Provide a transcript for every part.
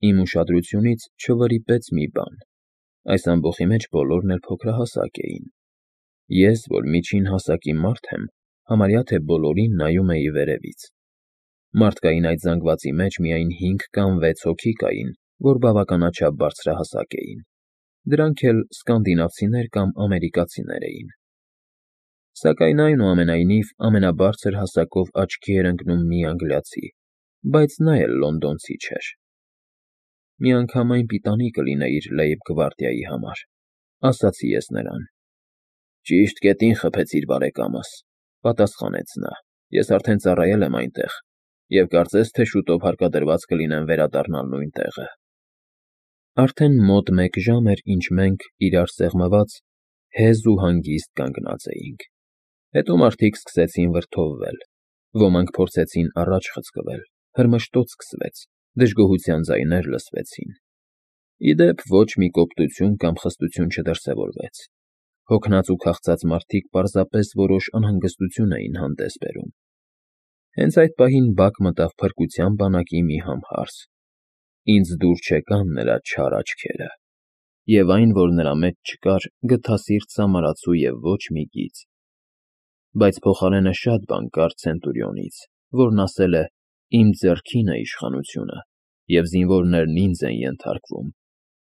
Իմ ուշադրությունից չվրիպեց մի բան. այս ամբոխի մեջ բոլորն էլ փոքրահասակ էին։ Ես, որ միջին հասակի մարդ եմ, համարյա թե բոլորին նայում էի վերևից։ Մարդկային այդ զանգվածի մեջ միայն 5 կամ 6 հոգի կային, որ բավականաչափ բարձրահասակ էին։ Դրանք էլ սկանդինավցիներ կամ ամերիկացիներ էին։ Սակայն այնուամենայնիվ ամենաբարձր հասակով աչքի էր ընկնում մի անգլիացի, բայց նա էլ լոնդոնցի չէր։ Միանգամայն պիտանի կլինեիր լեյբ-գվարդիայի համար, ասացի ես նրան։ Ճիշտ կետին խփեցիր, բարեկամս, պատասխանեց նա։ Ես արդեն ծառայել եմ այնտեղ, և կարծես թե շուտով հարկադրված կլինեմ վերադառնալ նույն տեղը։ Արդեն մոտ 1 ժամ էր, ինչ մենք, իրար սեղմված, հեզ ու հանգիստ կանգնած էինք։ Հետո մարդիկ սկսեցին վրդովվել, ոմանք փորձեցին առաջ խցկվել, հրմշտոց սկսվեց, դժգոհության ձայներ լսվեցին։ Ի դեպ, ոչ մի կոպտություն կամ խստություն չդրսևորվեց։ Հոգնած ու քաղցած մարդիկ պարզապես որոշ անհանգստություն էին հանդես բերում։ Հենց այդ պահին բակ մտավ փրկության բանակի մի համհարս։ Ինձ դուր չեկան նրա չար աչքերը, և այն, որ նրա մեջ չկար, գթասիրտ սամարացու և ոչ մի գիծ։ Բայց փոխարենը շատ բան կար Ցենտուրիոնից, որն ասել է. «Իմ ձեռքին է իշխանությունը, և զինվորներն ինձ են ենթարկվում։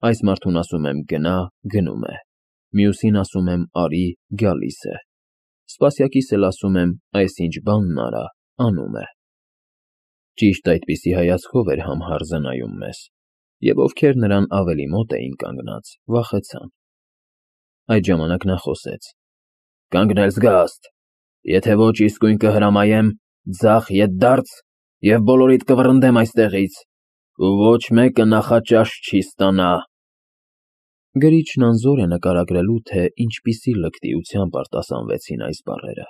Այս մարդուն ասում եմ գնա, գնում է, մյուսին ասում եմ արի, գալիս է, սպասյակիս էլ ասում եմ այսինչ բանն արա, անում է»։ Ճիշտ այդպիսի հայացքով էր համհարզը նայում մեզ, և ովքեր նրան ավելի մոտ էին կանգնած, վախեցան։ Այդ ժամանակ նա խոսեց. «Կանգնել զգաստ, եթե ոչ իսկույն կհրամայեմ, ձախ ետդարձ, և բոլորիդ կվռնդեմ այստեղից, ու ոչ մեկը նախաճաշ չի ստանա»։ Գրիչն անզոր է նկարագրելու, թե ինչպիսի լկտիությամբ արտասանվեցին այս բառերը։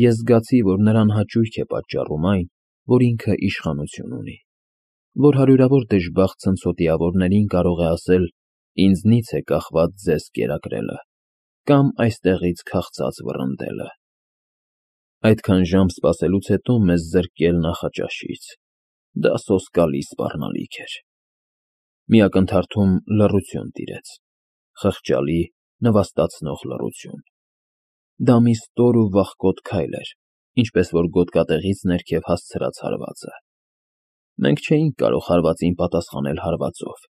Ես զգացի, որ նրան հաճույք է պատճառում այն, որ ինքը իշխանություն ունի, որ հարյուրավոր դժբախտ ցնցոտիավորներին կարող է ասել. «Ինձնից է կախված ձեզ կերակրելը» կամ «այստեղից քաղցած վռնդելը»։ Այդքան ժամ սպասելուց հետո մեզ զրկել նախաճաշից, դա սոսկալի սպառնալիք էր։ Մի ակնթարթում լռություն տիրեց, խղճալի, նվաստացնող լռություն։ Դա մի ստոր ու վախկոտ քայլ էր, ինչպես որ գոտկատեղից ներքև հասցրած հարվածը։ Մենք չէինք կարող հարվածին պատասխանել հարվածով,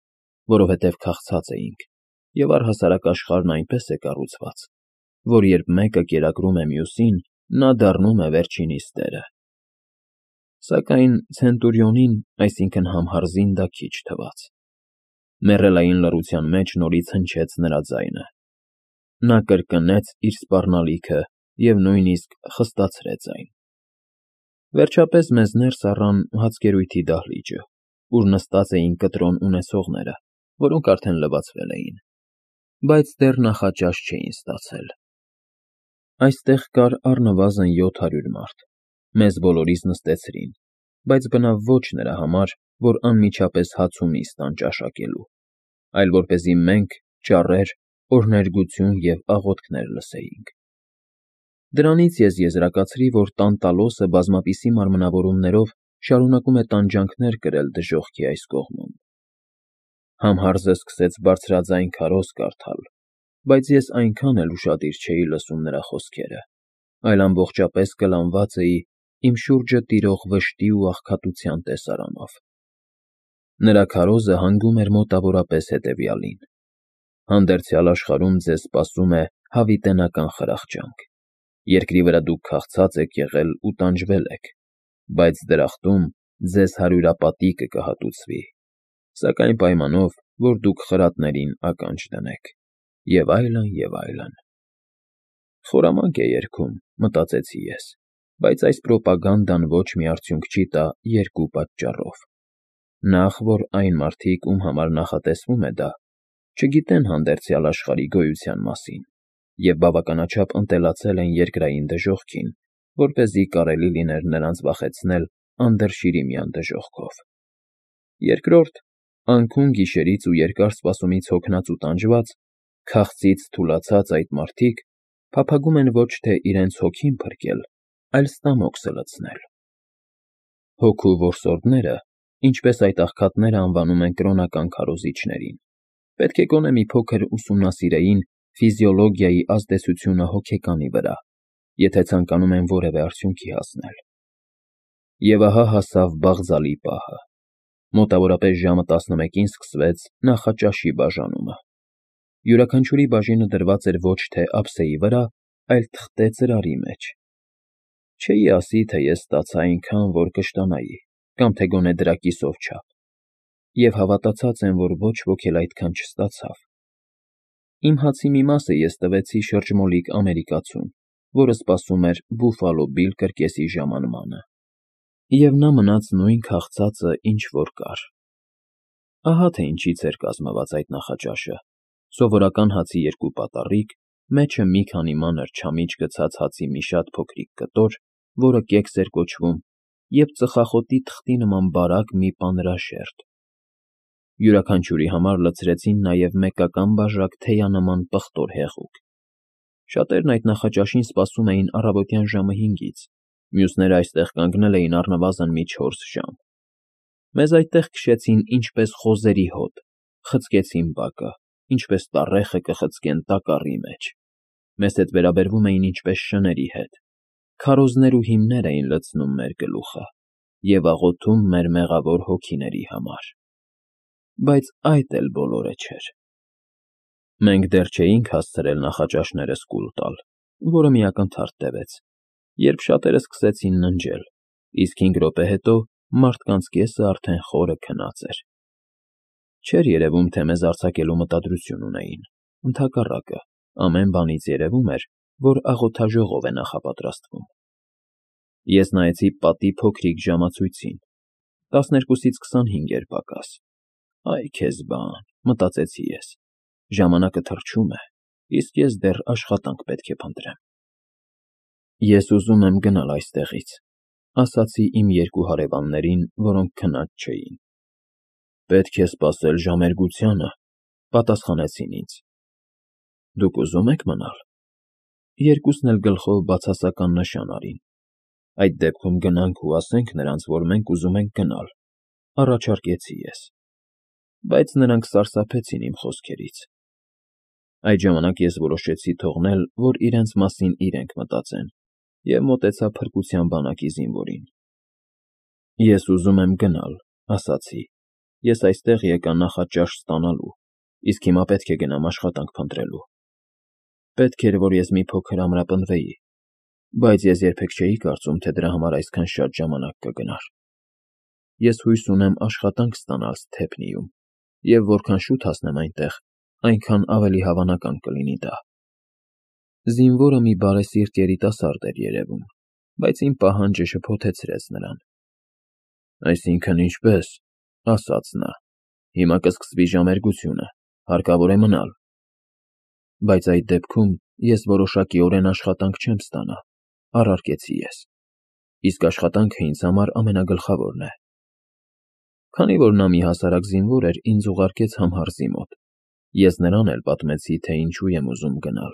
որովհետև քաղցած էինք, և առհասարակ աշխարհն այնպես է կառուցված, որ երբ մեկը կերակրում է մյուսին, նա դառնում է վերջինիս տերը։ Սակայն Ցենտուրիոնին, այսինքն համհարզին, դա քիչ թվաց։ Մեռելային լռության մեջ նորից հնչեց նրա ձայնը։ Նա կրկնեց իր սպառնալիքը և նույնիսկ խստացրեց այն։ Վերջապես մեզ ներս առան հացկերույթի դահլիճը, ուր նստած էին կտրոն ունեցողները, որոնք արդեն լվացվել էին, բայց դեռ նախաճաշ չէին ստացել։ Այստեղ կար առնվազն 700 մարդ, մեզ բոլորիս նստեցրին, բայց բնավ ոչ նրա համար, որ անմիջապես հաց ու միս տան ճաշակելու, այլ որպեսզի մենք, ճառեր, օրհներգություն և աղոթքներ լսեինք։ Դրանից ես եզրակացրի, որ Տանտալոսը բազմապիսի մարմնավորումներով շարունակում է տանջանքներ կրել դժոխքի այս կողմում։ Համհարզը սկսեց բարձրաձայն քարոզ կարդալ, բայց ես այնքան էլ ուշադիր չէի լսում նրա խոսքերը, այլ ամբողջապես կլանված էի իմ շուրջը տիրող վշտի ու աղքատության տեսարանով։ Նրա քարոզը հանգում էր մոտավորապես հետևյալին. «Հանդերձյալ աշխարհում ձեզ սպասում է հավիտենական խրախճանք։ Երկրի վրա դուք քաղցած եք եղել ու տանջվել եք, բայց դրախտում ձեզ հարյուրապատիկը կհատուցվի, սակայն պայմանով, որ դուք խրատներին ականջ դնեք» և այլն, և այլն։ Խորամանկ է երգում, մտածեցի ես, բայց այս պրոպագանդան ոչ մի արդյունք չի տա երկու պատճառով. Նախ, որ այն մարդիկ, ում համար նախատեսվում է դա, չգիտեն հանդերձյալ աշխարհի գոյության մասին և բավականաչափ ընտելացել են երկրային դժոխքին, որպեսզի կարելի լիներ նրանց վախեցնել անդրշիրիմյան դժոխքով։ Երկրորդ, անքուն գիշերից ու երկար սպասումից հոգնած ու տանջված, քաղցից թուլացած այդ մարդիկ փափագում են ոչ թե իրենց հոգին փրկել, այլ ստամոքսը լցնել։ Հոգու որսորդները, ինչպես այդ աղքատները անվանում են կրոնական քարոզիչներին, պետք է գոնե մի փոքր ուսումնասիրեին ֆիզիոլոգիայի ազդեցությունը հոգեկանի վրա, եթե ցանկանում են որևէ արդյունքի հասնել։ Եվ ահա հասավ Բաղձալի պահը։ Մոտավորապես ժամը 11-ին սկսվեց նախաճաշի բաժանումը։ Յուրաքանչյուրի բաժինը դրված էր ոչ թե ափսեի վրա, այլ թղթե ծրարի մեջ։ Չէի ասի, թե ես ստացա այնքան, որ կշտանայի, կամ թե գոնե դրա կիսով չափ, և հավատացած եմ, որ ոչ ոք էլ այդքան չստացավ։ Իմ հացի մի մասը ես տվեցի շրջմոլիկ ամերիկացուն, որը սպասում էր Բուֆալո Բիլ կրկեսի ժամանմանը, և նա մնաց նույն քաղցածը, ինչ որ կար։ Ահա թե ինչից էր կազմված այդ նախաճաշը. սովորական հացի 2 պատառիկ, մեջը մի քանի մանր չամիչ գցած հացի մի շատ փոքրիկ կտոր, որը կեքս էր կոչվում, և ծխախոտի թղթի նման բարակ մի պանրաշերտ։ Յուրաքանչյուրի համար լցրեցին նաև մեկական բաժակ թեյանման պղտոր հեղուկ։ Շատերն այդ նախաճաշին սպասում էին առավոտյան ժամը 5-ից, մյուսները այստեղ կանգնել էին առնվազն մի 4 ժամ։ Մեզ այդտեղ քշեցին ինչպես խոզերի հոտ, խցկեցին բակը, ինչպես տառեխը կխցկեն տակառի մեջ։ Մեզ հետ վերաբերվում էին ինչպես շների հետ, քարոզներ ու հիմներ էին լցնում մեր գլուխը և աղոթում մեր մեղավոր հոգիների համար։ Բայց այդ էլ բոլորը չէր։ Մենք դեռ չէինք հասցրել նախաճաշներս կուլ տալ, որը մի ակնթարթ տևեց, երբ շատերը սկսեցին ննջել, իսկ 5 րոպե հետո մարդկանց կեսը արդեն խորը քնած էր։ Չէր երևում, թե մեզ արձակելու մտադրություն ունեին, ընդհակառակը, ամեն բանից երևում էր, որ աղոթաժողով է նախապատրաստվում։ Ես նայեցի պատի փոքրիկ ժամացույցին, 12-ից 25 էր պակաս։ Այ քեզ բան, մտածեցի ես, ժամանակը թռչում է, իսկ ես դեռ աշխատանք պետք է փնտրեմ։ Ես ուզում եմ գնալ այստեղից, ասացի իմ 2 հարևաններին, որոնք քնած չէին։ Պետք է սպասել ժամերգությանը, պատասխանեցին ինձ։ Դուք ուզում եք մնալ։ Երկուսն էլ գլխով բացասական նշան արին։ Այդ դեպքում գնանք ու ասենք նրանց, որ մենք ուզում ենք գնալ, առաջարկեցի ես։ Բայց նրանք սարսափեցին իմ խոսքերից։ Այդ ժամանակ ես որոշեցի թողնել, որ իրենց մասին իրենք մտածեն, և մոտեցա փրկության բանակի զինվորին։ Ես ուզում եմ գնալ, ասացի։ Ես այստեղ եկա նախաճաշ ստանալու, իսկ հիմա պետք է գնամ աշխատանք փնտրելու։ Պետք էր, որ ես մի փոքր ամրապնդվեի, բայց ես երբեք չէի կարծում, թե դրա համար այսքան շատ ժամանակ կգնար։ Ես հույս ունեմ աշխատանք ստանալ Սթեփնիում, և որքան շուտ հասնեմ այնտեղ, այնքան ավելի հավանական կլինի դա։ Զինվորը մի բարեսիրտ երիտասարդ էր երևում, բայց իմ պահանջը շփոթեցրեց նրան։ Այսինքն ինչպե՞ս, ասաց նա, հիմա կսկսվի ժամերգությունը, հարկավոր է մնալ։ Բայց այդ դեպքում ես որոշակիորեն աշխատանք չեմ ստանա, առարկեցի ես, իսկ աշխատանքը ինձ համար ամենագլխավորն է։ Քանի որ նա մի հասարակ զինվոր էր, ինձ ուղարկեց Համհարզի մոտ։ Ես նրան էլ պատմեցի, թե ինչու եմ ուզում գնալ,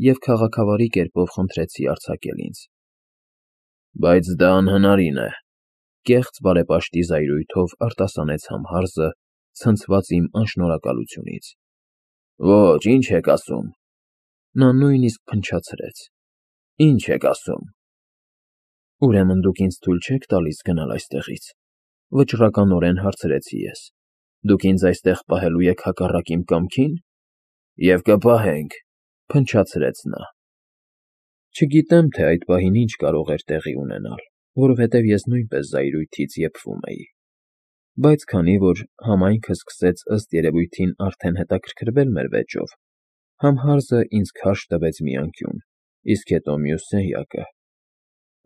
և քաղաքավարի կերպով խնդրեցի արձակել ինձ։ Բայց դա անհնարին է, կեղծ բարեպաշտի զայրույթով արտասանեց Համհարզը, ցնցված իմ անշնորհակալությունից։ Ոչ, ինչ եք ասում։ Նա նույնիսկ փնչացրեց։ Ինչ եք ասում։ Ուրեմն դուք ինձ թույլ չեք տալիս գնալ այստեղից, վճռականորեն հարցրեցի ես։ Դուք ինձ այստեղ պահելու եք հակառակ իմ կամքին։ Եվ կպահենք, փնչացրեց նա։ Չգիտեմ, թե այդ պահին ինչ կարող էր տեղի ունենալ, որովհետև ես նույնպես զայրույթից եփվում էի։ Բայց քանի որ համայնքը սկսեց ըստ երևույթին արդեն հետաքրքրվել մեր վեճով, Համհարզը ինձ քարշ տվեց մի անկյուն, իսկ հետո մյուս սենյակը։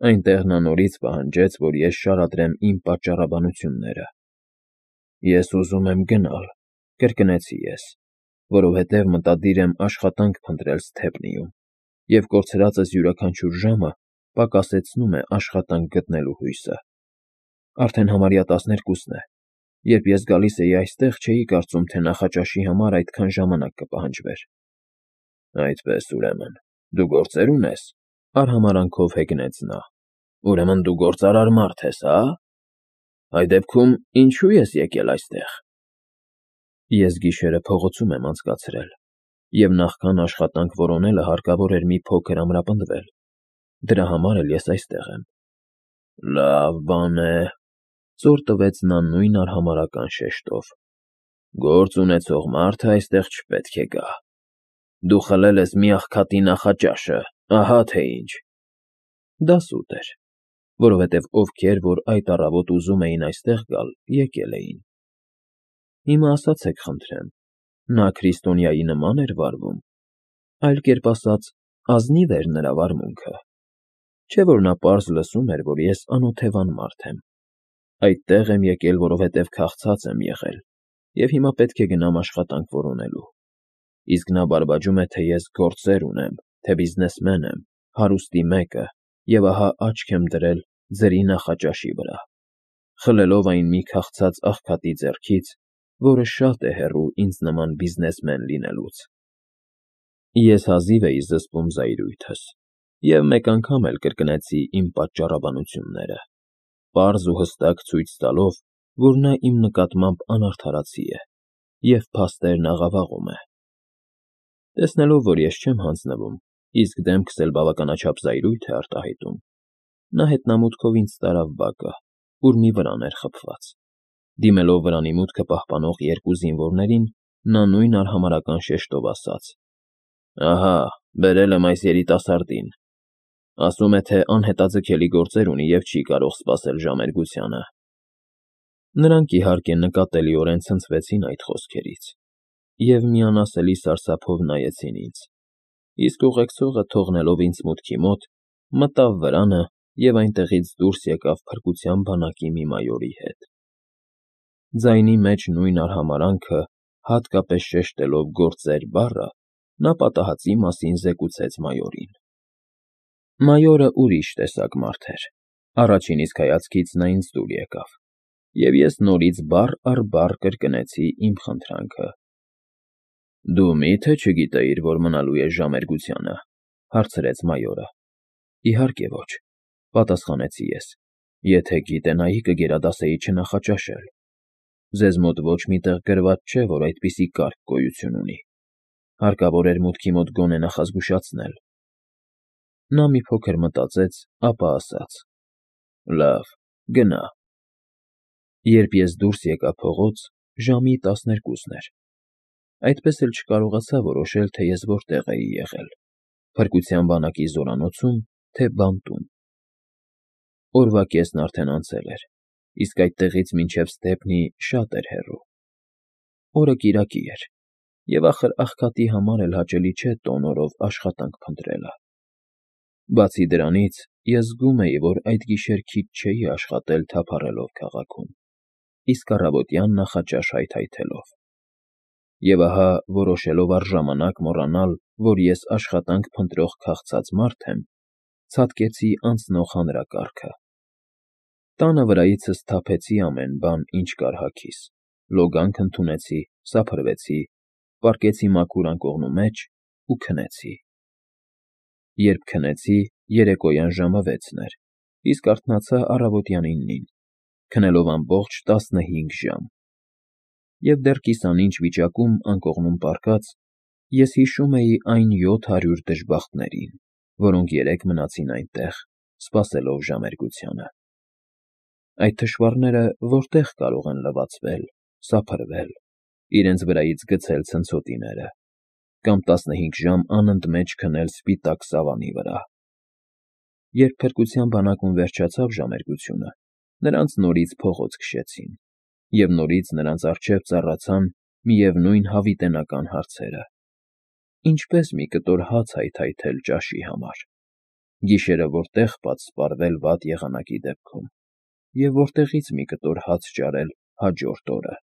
Այնտեղ նա նորից պահանջեց, որ ես շարադրեմ իմ պատճառաբանությունները։ Ես ուզում եմ գնալ, կրկնեցի ես, որովհետև մտադիր եմ աշխատանք փնտրել Սթեփնիում, և կորցրածս յուրաքանչյուր ժամը պակասեցնում է աշխատանք գտնելու հույսը։ Արդեն համարյա 12-ն է, երբ ես գալիս էի այստեղ, չէի կարծում, թե նախաճաշի համար այդքան ժամանակ կպահանջվեր։ Այդպես, ուրեմն, դու գործեր ունես, արհամարանքով հեգնեց նա։ Ուրեմն դու գործարար մարդ ես, հա՞։ Այդ դեպքում ինչու ես եկել այստեղ։ Ես գիշերը փողոցում եմ անցկացրել, և նախքան աշխատանք որոնելը հարկավոր էր մի փոքր ամրապնդվել։ Դրա համար էլ ես այստեղ եմ։ Լավ բան է, ծոր տվեց նա նույն արհամարհական շեշտով։ Գործ ունեցող մարդը այստեղ չպետք է գա։ Դու խլել ես մի աղքատի նախաճաշը, ահա թե ինչ։ Դա սուտ էր, որովհետև ովքեր, որ այդ առավոտ ուզում էին այստեղ գալ, եկել էին։ Հիմա ասացեք խնդրեմ, նա քրիստոնյայի նման էր վարվում, այլ կերպ ասած, ազնիվ էր նրա վարմունքը։ Չէ՞ որ նա պարզ լսում էր, որ ես անօթևան մարդ եմ։ Այդտեղ եմ եկել, որովհետև քաղցած եմ եղել, և հիմա պետք է գնամ աշխատանք որոնելու։ Իսկ նա բարբաջում է, թե ես գործեր ունեմ, թե բիզնեսմեն եմ, հարուստի մեկը, և ահա աչք եմ դրել ձրի նախաճաշի վրա, խլելով այն մի քաղցած աղքատի ձեռքից, որը շատ է հեռու ինձ նման բիզնեսմեն լինելուց։ Ես հազիվ էի զսպում զայրույթս, և մեկ անգամ էլ կրկնեցի իմ պատճառաբանությունները, պարզ ու հստակ ցույց տալով, որ նա իմ նկատմամբ անարդարացի է և փաստերն աղավաղում է։ Տեսնելով, որ ես չեմ հանձնվում, իսկ դեմքս էլ բավականաչափ զայրույթ է արտահայտում, նա հետնամուտքով ինձ տարավ բակը, ուր մի վրան էր խփված։ Դիմելով վրանի մուտքը պահպանող երկու զինվորներին, նա նույն արհամարհական շեշտով ասաց. Ահա, բերել եմ այս երիտասարդին։ Ասում է, թե անհետաձգելի գործեր ունի և չի կարող սպասել ժամերգությանը։ Նրանք, իհարկե, նկատելիորեն ցնցվեցին այդ խոսքերից և միանասելի սարսափով նայեցին ինձ, իսկ ուղեկցողը, թողնելով ինձ մուտքի մոտ, մտավ վրանը և այնտեղից դուրս եկավ փրկության բանակի մի մայորի հետ։ Ձայնի մեջ նույն արհամարհանքը, հատկապես շեշտելով «գործեր» բառը, նա պատահածի մասին զեկուցեց մայորին։ Մայորը ուրիշ տեսակ մարդ էր։ Առաջին իսկ հայացքից նա ինձ դուր եկավ, և ես նորից բառ առ բառ կրկնեցի իմ խնդրանքը։ Դու մի՞թե չգիտեիր, որ մնալու ես ժամերգությանը, հարցրեց մայորը։ Իհարկե ոչ, պատասխանեցի ես, եթե գիտենայի, կգերադասեի չնախաճաշել։ Ձեզ մոտ ոչ մի տեղ գրված չէ, որ այդպիսի կարգ գոյություն ունի։ Հարկավոր էր մուտքի մոտ գոնե նախազգուշացնել։ Նա մի փոքր մտածեց, ապա ասաց. Լավ, գնա։ Երբ ես դուրս եկա փողոց, ժամի 12-ն էր։ Այդպես էլ չկարողացա որոշել, թե ես որտեղ էի եղել՝ փրկության բանակի զորանոցում, թե բանտում։ Օրվա կեսն արդեն անցել էր, իսկ այդտեղից մինչև Ստեփնի շատ էր հեռու։ Օրը կիրակի էր, և ախր աղքատի համար էլ հաճելի չէ տոն օրով աշխատանք փնտրելը։ Բացի դրանից, ես զգում էի, որ այդ գիշեր քիչ չէի աշխատել թափառելով քաղաքում, իսկ առավոտյան նախաճաշ հայթայթելով։ Եվ ահա, որոշելով առժամանակ մոռանալ, որ ես աշխատանք փնտրող քաղցած մարդ եմ, ցատկեցի անցնող հանրակարգը։ Տանը վրայիցս թափեցի ամեն բան, ինչ կար հագիս, լոգանք ընդունեցի, սափրվեցի, պառկեցի մաքուր անկողնու մեջ ու քնեցի։ Երբ քնեցի, երեկոյան ժամը 6-ն էր, իսկ արթնացա առավոտյան 9-ին, քնելով ամբողջ 15 ժամ։ Եվ դեռ կիսանինչ վիճակում անկողնում պառկած, ես հիշում էի այն 700 դժբախտներին, որոնք երեկ մնացին այնտեղ, սպասելով ժամերգությանը։ Այդ թշվառները որտե՞ղ կարող են լվացվել, սափրվել, իրենց վրայից գցել ցնցոտիները, կամ 15 ժամ անընդմեջ քնել սպիտակ սավանի վրա։ Երբ փրկության բանակում վերջացավ ժամերգությունը, նրանց նորից փողոց քշեցին, և նորից նրանց առջև ծառացան միևնույն հավիտենական հարցերը. ինչպես մի կտոր հաց հայթայթել ճաշի համար, գիշերը որտեղ պատսպարվել վատ եղանակի դեպքում, և որտեղից մի կտոր հաց ճարել հաջորդ օրը։